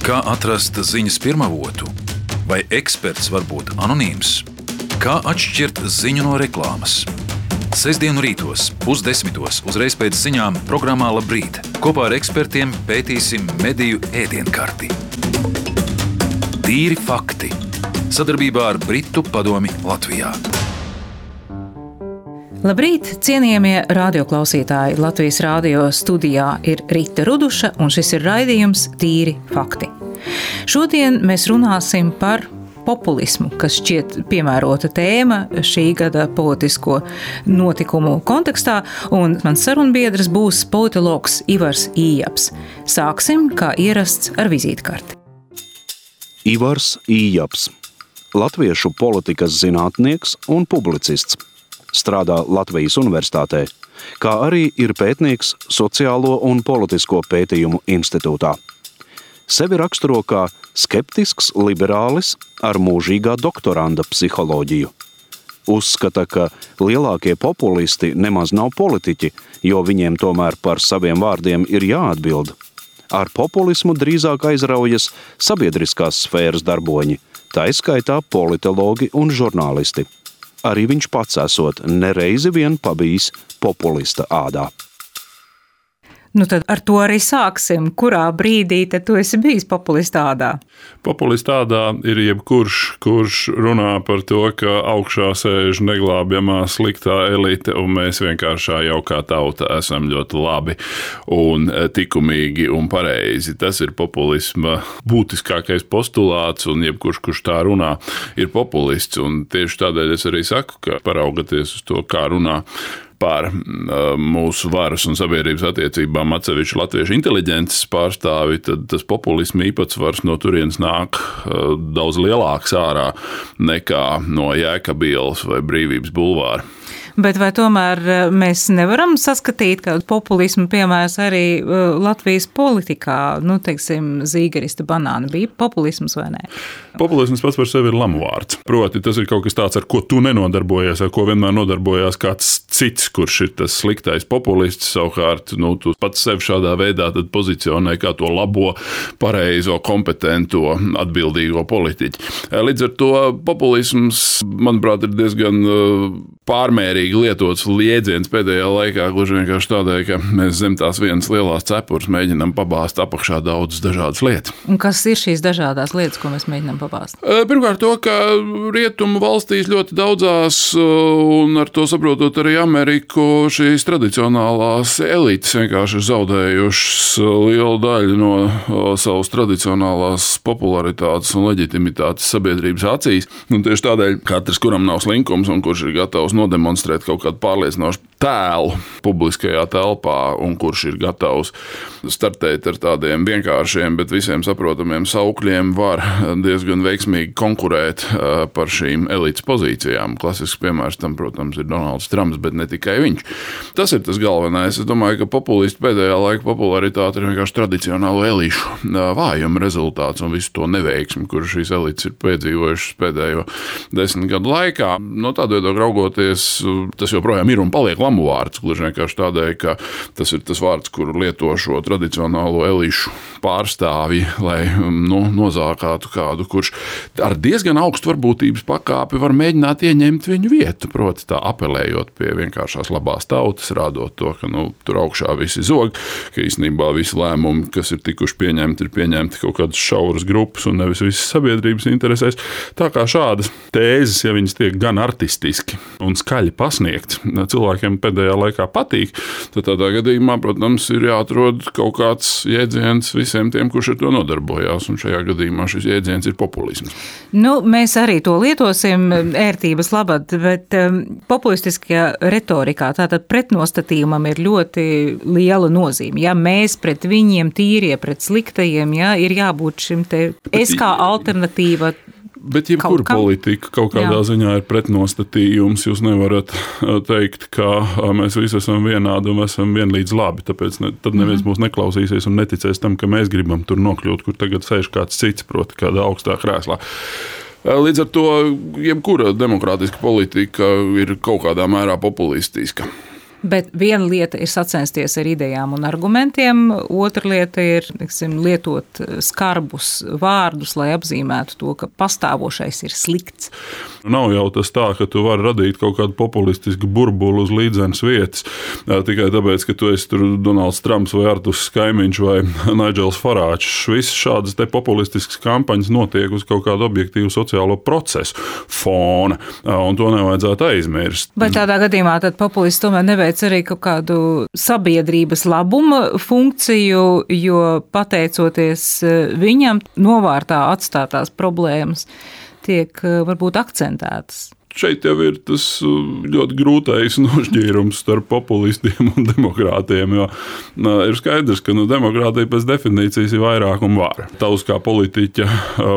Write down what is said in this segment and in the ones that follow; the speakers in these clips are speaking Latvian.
Kā atrast ziņas pirmavotu? Vai eksperts var būt anonīms? Kā atšķirt ziņu no reklāmas? Sestdienu rītos, 9:30 uzreiz pēc ziņām programmā Labrīt. Kopā ar ekspertiem pētīsim mediju ēdienkarti. Tīri fakti. Sadarbībā ar Britu padomi Latvijā. Labrīt, cienījamie radioklausītāji! Latvijas radio studijā ir Rita Ruduša, un šis ir raidījums Tīri fakti. Šodien mēs runāsim par populismu, kas šķiet piemērota tēma šī gada politisko notikumu kontekstā, un mans sarunbiedrs būs politologs Ivars Ījaps. Sāksim, kā ierasts, ar vizītkarti. Ivars Ījaps, latviešu politikas zinātnieks un publicists. Strādā Latvijas Universitātē, kā arī ir pētnieks Sociālo un politisko pētījumu institūtā. Sevi raksturo kā skeptisks liberālis ar mūžīgā doktoranda psiholoģiju. Uzskata, ka lielākie populisti nemaz nav politiķi, jo viņiem tomēr par saviem vārdiem ir jāatbild. Ar populismu drīzāk aizraujas sabiedriskās sfēras darboņi, tā izskaitā politologi un žurnālisti. Arī viņš pats esot nereizi vien pabijis populista ādā. Nu tad ar to arī sāksim. Kurā brīdī tad tu esi bijis populista ādā? Populista ādā ir jebkurš, kurš runā par to, ka augšā sēž neglābjamā sliktā elite, un mēs vienkāršā jaukā tauta esam ļoti labi un likumīgi un pareizi. Tas ir populisma būtiskākais postulāts, un jebkurš, kurš tā runā, ir populists. Un tieši tādēļ es arī saku, ka paraugoties uz to, kā runā par mūsu varas un sabiedrības attiecībām atsevišķi latviešu inteliģences pārstāvi, tad tas populisma īpatsvars no turienes nāk daudz lielāks ārā nekā no Jēkaba ielas vai Brīvības bulvāra. Bet vai tomēr mēs nevaram saskatīt kādu populismu piemērs arī Latvijas politikā? Nu, teiksim, zīgerista banāna bija populisms vai nē? Populisms pats par sevi ir lamuvārds. Proti, tas ir kaut kas tāds, ar ko tu nenodarbojies, ar ko vienmēr nodarbojās kāds cits, kurš ir tas sliktais populists. Savukārt, tu pats sevi šādā veidā tad pozicionē kā to labo, pareizo, kompetento, atbildīgo politiķi. Līdz ar to populisms, manuprāt, ir diezgan pārmērīgi lietots jēdziens pēdējā laikā, gluži vienkārši tādēļ, ka mēs zem tās vienas lielās cepures mēģinām pabāzt apakšā daudzas dažādas lietas. Un kas ir šīs dažādās lietas, ko mēs mēģinām pabāzt? Pirmkārt to, ka rietumu valstīs ļoti daudzās, un ar to saprotot arī Ameriku, šīs tradicionālās elites vienkārši ir zaudējušas lielu daļu no savas tradicionālās popularitātes un leģitimitātes sabiedrības acīs. Un tieši tādēļ katrs, kuram nav slinkums un kurš ir gatavs nodemonstrēt kaut kādu pārliecinošu tēlu publiskajā telpā un kurš ir gatavs startēt ar tādiem vienkāršiem, bet visiem saprotamiem saukļiem, var diezgan veiksmīgi konkurēt par šīm elites pozīcijām. Klasisks piemērs tam, protams, ir Donalds Trumps, bet ne tikai viņš. Tas ir tas galvenais. Es domāju, ka populisti pēdējā laika popularitāte ir vienkārši tradicionālo elišu vājuma rezultāts un visu to neveiksmi, kur šīs elites ir piedzīvojušas pēdējo 10 gadu laikā. No tāda viedokļa raugoties, tas joprojām ir un paliek lamu vārds, gluži vienkārši tādēļ, ka tas ir tas vārds, kuru lieto šo tradicionālo elišu pārstāvji, lai nozākātu kādu, kurš ar diezgan augstu varbūtības pakāpi var mēģināt ieņemt viņu vietu, proti tā apelējot pie vienkāršās labās tautas, rādot to, ka tur augšā visi zog, ka īstenībā visi lēmumi, kas ir tikuši pieņemti, ir pieņemti kaut kādas šauras grupas un nevis visas sabiedrības interesēs. Tā kā šādas tēzes, ja viņas tiek gan artistiski un skaļi pasniegts, cilvēkiem pēdējā laikā patīk, tad tādā gadījumā, protams, ir jāatrod kaut kāds jēdziens visiem tiem, kurš ar to nodarbojās, un šajā gadījumā šis jēdziens ir populisms. Mēs arī to lietosim ērtības labad, bet populistiskajā retorikā, tātad pretnostatījumam ir ļoti liela nozīme. Ja mēs pret viņiem tīrie, pret sliktajiem, ir jābūt šim te es kā alternatīva. Bet jebkura politika kaut kādā ziņā ir pretnostatījums. Jūs nevarat teikt, ka mēs visi esam vienādi un esam vienlīdz labi, tāpēc tad neviens mūs neklausīsies un neticēs tam, ka mēs gribam tur nokļūt, kur tagad sēž kāds cits, proti kādā augstā krēslā. Līdz ar to jebkura demokrātiska politika ir kaut kādā mērā populistiska. Bet viena lieta ir sacensties ar idejām un argumentiem, otra lieta ir, lietot skarbus vārdus, lai apzīmētu to, ka pastāvošais ir slikts. Nav jau tas tā, ka tu vari radīt kaut kādu populistisku burbuli uz līdzenas vietas, tikai tāpēc, ka tu esi tur Donalds Trumps vai Arturs Skaimiņš vai Nigels Farāčs. Visas šādas te populistiskas kampaņas notiek uz kaut kādu objektīvu sociālo procesu fona, un to nevajadzētu aizmirst. Vai tādā gadījumā tad populists tomēr neveic arī kaut kādu sabiedrības labuma funkciju, jo pateicoties viņam novārtā atstātās problēmas tiek varbūt akcentētas? Šeit jau ir tas ļoti grūtais nošķīrums starp populistiem un demokrātiem, jo ir skaidrs, ka demokrātija pēc definīcijas ir vairākuma vara. Tavs kā politiķa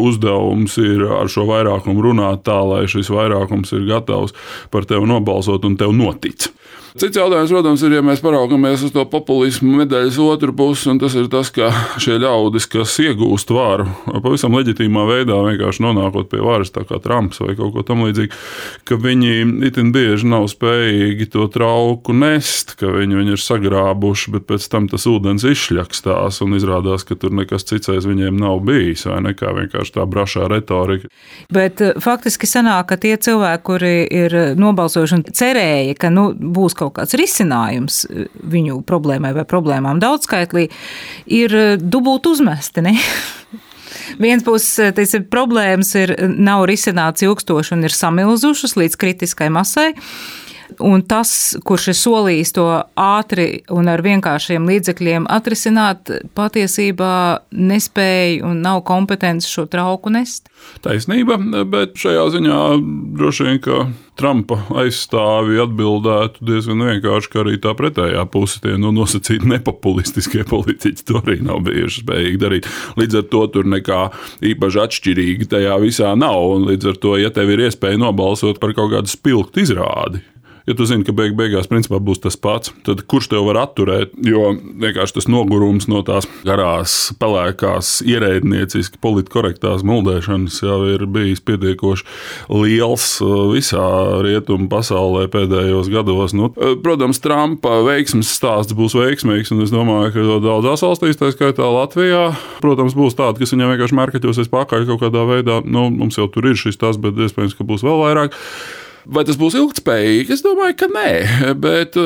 uzdevums ir ar šo vairākumu runāt tā, lai šis vairākums ir gatavs par tevi nobalsot un tev notic. Cits jautājums, protams, ir, ja mēs paraugamies uz to populismu medaļas otru pusi, un tas ir tas, ka šie ļaudis, kas iegūst varu, pavisam leģitīmā veidā vienkārši nonākot pie varas, tā kā Trumps vai kaut ko tam līdzīgi, ka viņi itin bieži nav spējīgi to trauku nest, ka viņi ir sagrābuši, bet pēc tam tas ūdens izšļakstās un izrādās, ka tur nekas cits aiz viņiem nav bijis, vai nekā vienkārši tā brašā retorika. Bet faktiski sanāk, ka tie cilvēki, kuri ir nobalsojuši un cerēja, ka būs kaut kāds risinājums viņu problēmai vai problēmām daudzskaitlī, ir dubult uzmesti, ne? Viens puses problēmas nav risināts ilgstoši un ir samilzušas līdz kritiskai masai. Un tas, kurš ir solījis to ātri un ar vienkāršiem līdzekļiem atrisināt, patiesībā nespēja un nav kompetents šo trauku nest. Taisnība, bet šajā ziņā droši vien, ka Trumpa aizstāvi atbildētu diezgan vienkārši, ka arī tā pretējā puse tie nosacīti nepopulistiskie politiķi to arī nav bijuši spējīgi darīt. Līdz ar to tur nekā īpaši atšķirīgi tajā visā nav, un līdz ar to, ja tev ir iespēja nobalsot par kaut kādu spilgtu izrādi, ja tu zini, ka beigās principā būs tas pats, tad kurš tev var atturēt, jo vienkārši tas nogurums no tās garās, pelēkās, ierēdnieciski politkorektās muldēšanas jau ir bijis pietiekoši liels visā rietumu pasaulē pēdējos gados. Protams, Trumpa veiksmes stāsts būs veiksmīgs, un es domāju, ka daudzās valstīs, tā skaitā Latvijā, protams, būs tādi, kas viņam vienkārši mērkaķosies pakaļ kaut kādā veidā. Mums jau tur ir šis tas, bet iespējams, ka būs vēl vairāk. Vai tas būs ilgtspējīgi? Es domāju, ka nē, bet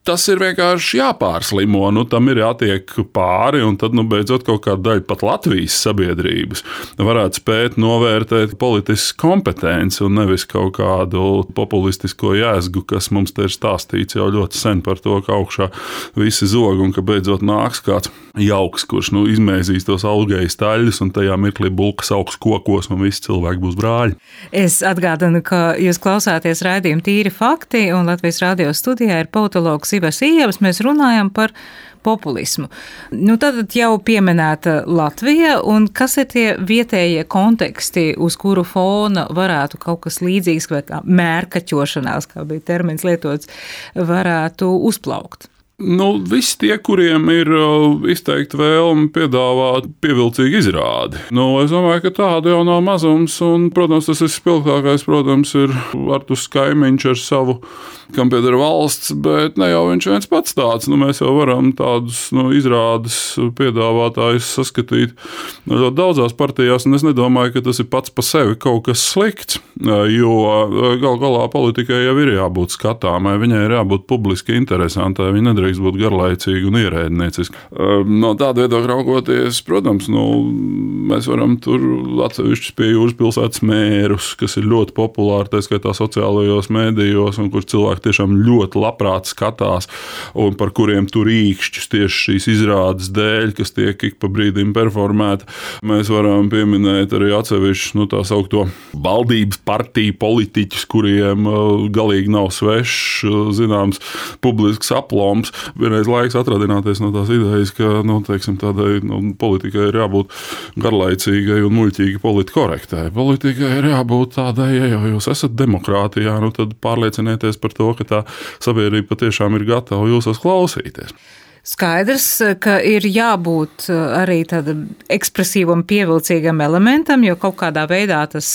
tas ir vienkārši jāpārslimo, tam ir jātiek pāri, un tad, beidzot, kaut kāda daļa pat Latvijas sabiedrības varētu spēt novērtēt politisku kompetenci un nevis kaut kādu populistisko jēzgu, kas mums te ir stāstīts jau ļoti sen par to, ka augšā visi zog un ka beidzot nāks kāds jauks, kurš izmēzīs tos augējas taļus un tajā mirklī bulkas augsts kokos un visi cilvēki būs brāļi. Es atgādinu, ka jūs klausāties raidījumu Tīri fakti, un Latvijas radio studijā ir politologs Ivars Ījabs, mēs runājam par populismu. Tad jau pieminēta Latvija, un kas ir tie vietējie konteksti, uz kuru fona varētu kaut kas līdzīgs, vai kā mērkaķošanās, kā bija termins lietots, varētu uzplaukt? Visi tie, kuriem ir izteikti vēlme piedāvāt pievilcīgu izrādi. Es domāju, ka tāda jau nav mazums, un, protams, tas spilgtākais, ir Arturs Skaimiņš ar savu, kam pieder valsts, bet ne jau viņš viens pats tāds. Mēs jau varam tādus izrādes piedāvātājus saskatīt ļoti daudzās partijās, un es nedomāju, ka tas ir pats pa sevi kaut kas slikts, jo gal galā politikai jau ir jābūt skatāmai, viņai ir jābūt publiski interesantai, viņa nedrīkst būt garlaicīgi un ierēdnieciski. No tāda viedokļa raugoties, protams, mēs varam tur atsevišķus pie jūras pilsētas mērus, kas ir ļoti populāri, tā skaitā sociālajos mēdījos, un kur cilvēki tiešām ļoti labprāt skatās, un par kuriem tur īkšķus tieši šīs izrādes dēļ, kas tiek ik pa brīdim performēta. Mēs varam pieminēt arī atsevišķus, tā saukto valdības partiju politiķus, kuriem galīgi nav svešs, zināms, publisks aploms. Vienreiz laiks atradināties no tās idejas, ka, tādai politikai ir jābūt garlaicīgai un muļķīgi politkorektai. Politikai ir jābūt tādai, ja jau jūs esat demokrātijā, tad pārliecinieties par to, ka tā sabiedrība patiešām ir gatava jūsos klausīties. Skaidrs, ka ir jābūt arī tādam ekspresīvam, pievilcīgam elementam, jo kaut kādā veidā tas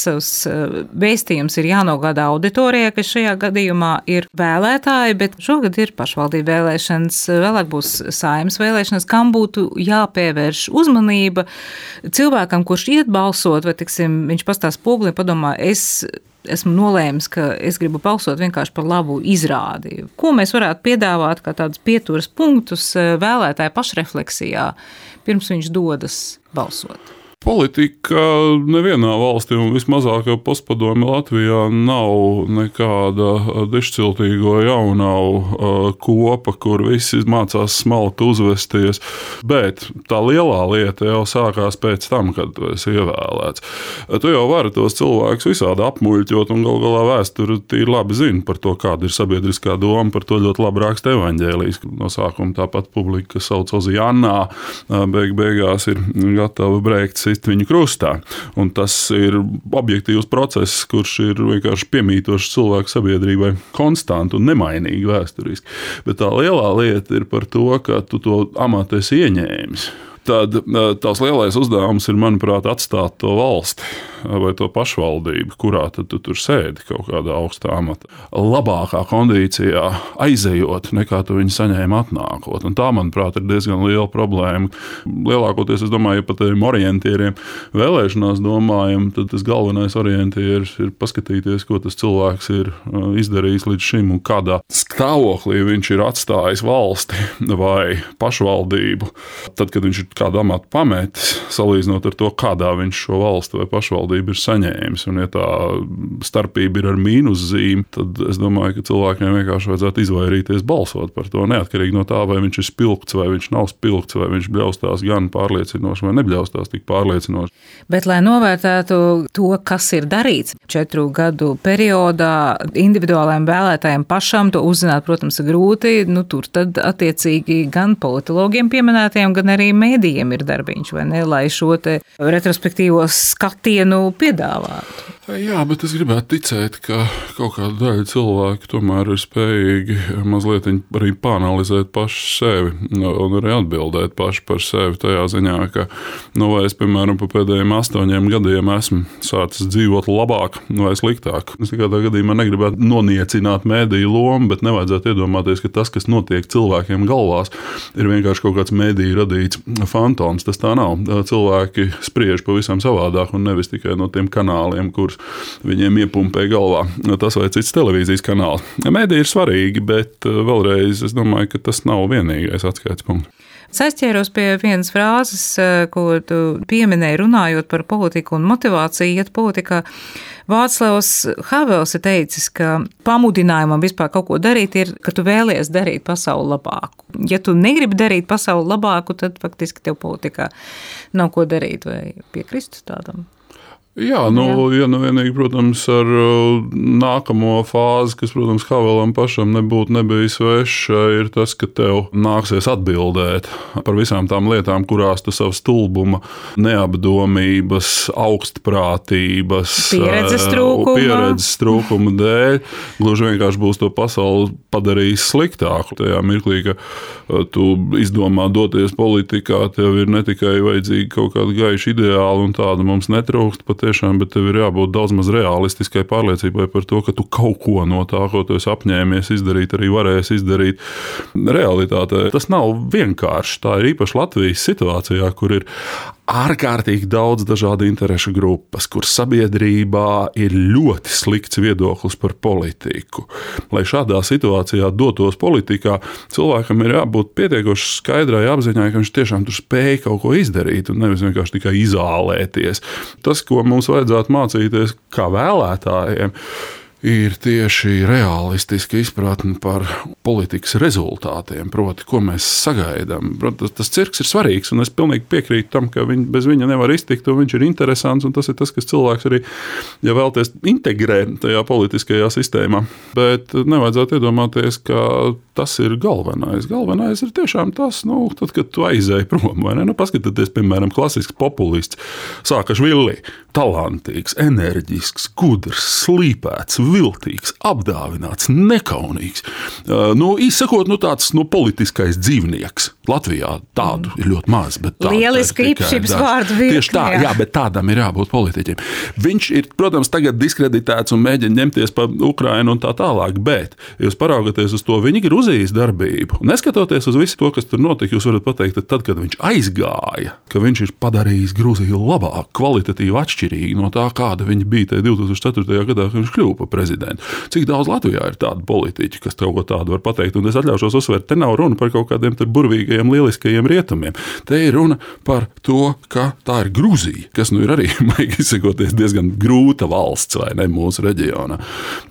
vēstījums ir jānogādā auditorijai, kas šajā gadījumā ir vēlētāji, bet šogad ir pašvaldību vēlēšanas, vēlāk būs Saeimas vēlēšanas, kam būtu jāpievērš uzmanība cilvēkam, kurš iet balsot, vai, tiksim, viņš pastāv spogulī, padomā, esmu nolēmis, ka es gribu balsot vienkārši par labu izrādi. Ko mēs varētu piedāvāt kā tādus pieturas punktus vēlētāju pašrefleksijā, pirms viņš dodas balsot? Politika nevienā valstī, un vismazākā postpadomju Latvijā, nav nekāda dišciltīgo jaunavu kopa, kur visi mācās smalki uzvesties. Bet tā lielā lieta jau sākās pēc tam, kad tu esi ievēlēts. Tu jau vari tos cilvēkus visādi apmuļķot, un gal galā vēsturi tīri labi zina par to, kāda ir sabiedriskā doma, par to ļoti labi raksta evaņģēlijs. No sākuma tāpat publika, kas sauc Ozijannā, beigās ir gatava brēkt viņu krustā. Un tas ir objektīvs process, kurš ir vienkārši piemītošs cilvēku sabiedrībai konstanti un nemainīgi vēsturiski. Bet tā lielā lieta ir par to, ka tu to amatu esi ieņēmis. Tad tās lielais uzdevums ir, manuprāt, atstāt to valsti vai to pašvaldību, kurā tad tu tur sēdi kaut kādā augstā amatā. Labākā kondīcijā aizejot, nekā tu viņu saņēmi atnākot. Un tā, manuprāt, ir diezgan liela problēma. Lielākoties, es domāju, ja par tiem orientieriem vēlēšanās domājam, tad tas galvenais orientieris ir paskatīties, ko tas cilvēks ir izdarījis līdz šim un kādā stāvoklī viņš ir atstājis valsti vai pašvaldību. Tad, kad viņš ir kādu amatu pametis, salīdzinot ar to, kādā viņš šo valsti vai pašvaldību ir saņēmis. Un ja tā starpība ir ar mīnuszīmi, tad es domāju, ka cilvēkiem vienkārši vajadzētu izvairīties balsot par to, neatkarīgi no tā, vai viņš ir spilgts, vai viņš nav spilgts, vai viņš bļaustās gan pārliecinoši, vai nebļaustās tik pārliecinoši. Bet, lai novērtētu to, kas ir darīts 4 gadu periodā, individuālajiem vēlētājiem pašam to uzzināt, protams, ir grūti, tur tad attiecīgi gan politologiem pieminētiem, gan arī mēdījiem ir darbiņš, vai ne, lai šo te retrospektīvo skatienu piedāvātu. Jā, bet es gribētu ticēt, ka kaut kāda daļa cilvēku tomēr ir spējīgi mazliet arī pāanalizēt paši sevi un arī atbildēt paši par sevi tajā ziņā, ka, vai es, piemēram, pa pēdējiem 8 gadiem esmu sācis dzīvot labāk vai sliktāk. Es nekādā gadījumā negribētu noniecināt mēdīju lomu, bet nevajadzētu iedomāties, ka tas, kas notiek cilvēkiem galvās, ir vienkārši kaut kāds mēdīju radīts fantoms. Tas tā nav. Cilvēki spriež pavisam savādāk un nevis tikai no tiem kanāliem, kurus viņiem iepumpē galvā tas vai cits televīzijas kanāls. Mēdī ir svarīgi, bet vēlreiz es domāju, ka tas nav vienīgais atskaites punkts. Es aizķēros pie vienas frāzes, ko tu pieminēji runājot par politiku un motivāciju iet politikā. Vāclavs Havels ir teicis, ka pamudinājumam vispār kaut ko darīt ir, ka tu vēlies darīt pasauli labāku. Ja tu negribi darīt pasauli labāku, tad faktiski tev politikā nav ko darīt, vai piekristu tādam? Jā, ja vienīgi, protams, ar nākamo fāzi, kas, protams, Havelam pašam nebūtu nebijis sveša, ir tas, ka tev nāksies atbildēt par visām tām lietām, kurās tu savu stulbuma, neapdomības, augstprātības, pieredzes trūkuma dēļ gluži vienkārši būs to pasauli padarījis sliktāku. Tajā mirklī, ka tu izdomā doties politikā, tev ir ne tikai vajadzīgi kaut kāda gaiša ideāla un tāda mums netrūkst patiešām, bet tev ir jābūt daudz maz realistiskai pārliecībai par to, ka tu kaut ko no tā, ko tu esi apņēmies izdarīt, arī varēsi izdarīt realitātē. Tas nav vienkārši. Tā ir īpaši Latvijas situācijā, kur ir ārkārtīgi daudz dažādu interešu grupas, kur sabiedrībā ir ļoti slikts viedoklis par politiku. Lai šādā situācijā dotos politikā, cilvēkam ir jābūt pietiekoši skaidrai apziņai, ka viņš tiešām tur spēj kaut ko izdarīt un nevis vienkārši tikai izālēties. Tas, ko mums vajadzētu mācīties kā vēlētājiem, ir tieši realistiska izpratne par politikas rezultātiem, proti, ko mēs sagaidām. Tas cirks ir svarīgs, un es pilnīgi piekrītu tam, ka bez viņa nevar iztikt, un viņš ir interesants, un tas ir tas, kas cilvēks arī, ja vēlties, integrē tajā politiskajā sistēmā. Bet nevajadzētu iedomāties, ka tas ir galvenais. Galvenais ir tiešām tas, tad, kad tu aizēji prom, vai ne? Paskatieties, piemēram, klasisks populists Sākašvili, talantīgs, enerģisks, gudrs, slīpēts, viltīgs, apdāvināts, nekaunīgs. Izsakot, tāds politiskais dzīvnieks. Latvijā tādu ir ļoti maz. Lieliska īpašības vārdu virkne. Tieši tā, jā, bet tādam ir jābūt politiķim. Viņš ir, protams, tagad diskreditēts un mēģina ņemties pa Ukrainu un tā tālāk, bet, ja jūs paraugaties uz to viņa Gruzijas darbību, neskatoties uz visu to, kas tur notika, jūs varat pateikt, ka tad, kad viņš aizgāja, ka viņš ir padarījis Gruziju labāk, kvalitatīvi atšķirīgi no tā, kāda viņa bija tajā 2004. gadā, kad viņš kļuva par prezidentu. Cik daudz Latvijā ir tādu politiķi, kas kaut ko tādu var pateikt, un es atļaušos uzsvērt, te nav runa par kaut kādiem burvīgiem lieliskajiem rietumiem. Te ir runa par to, ka tā ir Gruzija, kas ir arī, maigi izsakoties, diezgan grūta valsts, vai ne, mūsu reģionā.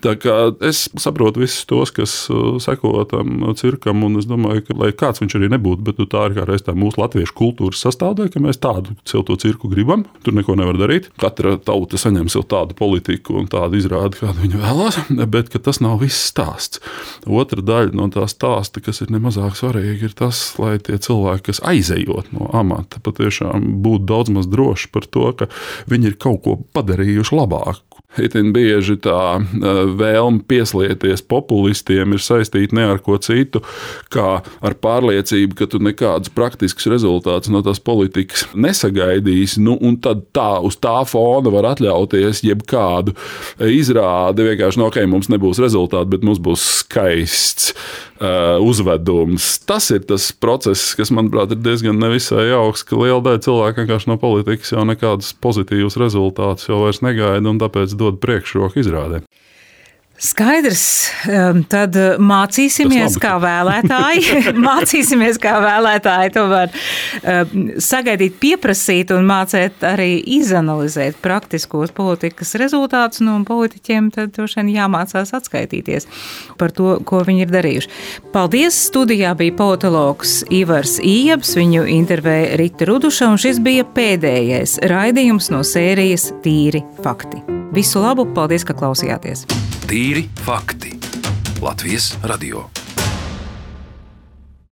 Tā kā es saprotu visus tos, kas seko tam cirkam, un es domāju, ka, lai kāds viņš arī nebūtu, bet tā ir kā reiz tā mūsu latviešu kultūras sastāvdaļa, ka mēs tādu sev to cirku gribam, tur neko nevar darīt. Katra tauta saņem sev tādu politiku un tādu izrādi, kādu viņa vēlās, bet ka tas nav viss stāsts. Otra daļa no tā stāsta, kas ir nemazāk svarīgi, ir tas, lai tie cilvēki, kas aizejot no amata, patiešām būtu daudz maz droši par to, ka viņi ir kaut ko padarījuši labāk. Itin bieži tā vēlme pieslieties populistiem ir saistīta ne ar ko citu, kā ar pārliecību, ka tu nekādus praktiskus rezultātus no tās politikas nesagaidīsi, un tad tā uz tā fona var atļauties jebkādu izrādi, vienkārši, ok, mums nebūs rezultāti, bet mums būs skaists uzvedums. Tas ir tas process, kas, manuprāt, ir diezgan nevisai jauks, ka liela daļa cilvēku vienkārši no politikas jau nekādus pozitīvus rezultātus jau vairs negaida, un tāpēc dod priekšroku izrādē. Skaidrs, tad mācīsimies kā vēlētāji, tomēr sagaidīt, pieprasīt un mācēt arī izanalizēt praktiskos politikas rezultātus, un politiķiem tad droši vien jāmācās atskaitīties par to, ko viņi ir darījuši. Paldies, studijā bija politologs Ivars Ījabs, viņu intervēja Rita Ruduša, un šis bija pēdējais raidījums no sērijas Tīri fakti. Visu labu, paldies, ka klausījāties! Tīri fakti. Latvijas radio.